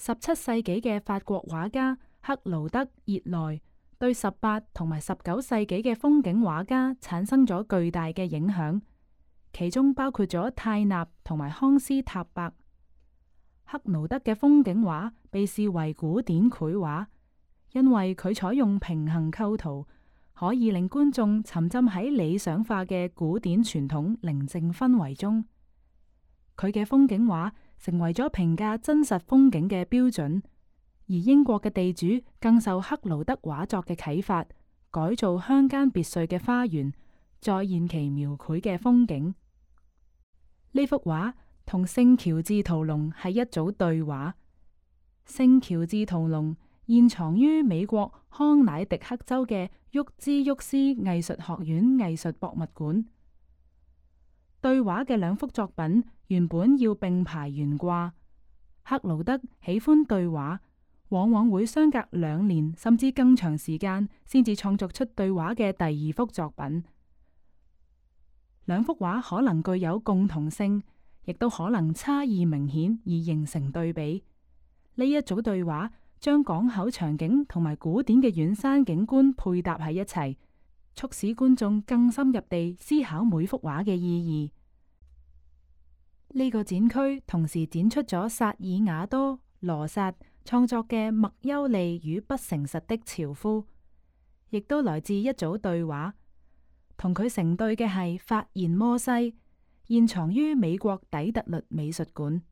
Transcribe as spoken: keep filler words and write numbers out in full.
十七世紀嘅法國畫家克勞德·熱內對十八同埋十九世紀嘅風景畫家產生咗巨大嘅影響，其中包括咗泰納同埋康斯塔伯。克勞德嘅風景畫被視為古典繪畫，因為佢採用平衡構圖，可以令觀眾沉浸喺理想化嘅古典傳統寧靜氛圍中。佢嘅風景畫成為咗評價真實風景嘅標準，而英國嘅地主更受克勞德畫作嘅啟發，改造鄉間別墅嘅花園，再現其描繪嘅風景。呢幅畫同聖喬治圖龍係一組對畫。聖喬治圖龍現藏於美國康乃狄克州嘅沃茲沃斯藝術學院藝術博物館。對畫嘅兩幅作品原本要並排懸掛，克勞德喜歡對畫，往往會相隔兩年甚至更長時間先至創作出對畫嘅第二幅作品。兩幅畫可能具有共同性，亦都可能差異明顯而形成對比。呢一組對畫將港口場景同埋古典嘅遠山景觀配搭喺一齊，促使觀眾更深入地思考每幅畫嘅意義。呢個展區同時展出咗薩爾瓦多羅薩創作嘅麥優利與不誠實的樵夫，亦都來自一組對畫。同佢成對嘅係發現摩西，現藏於美國底特律美術館。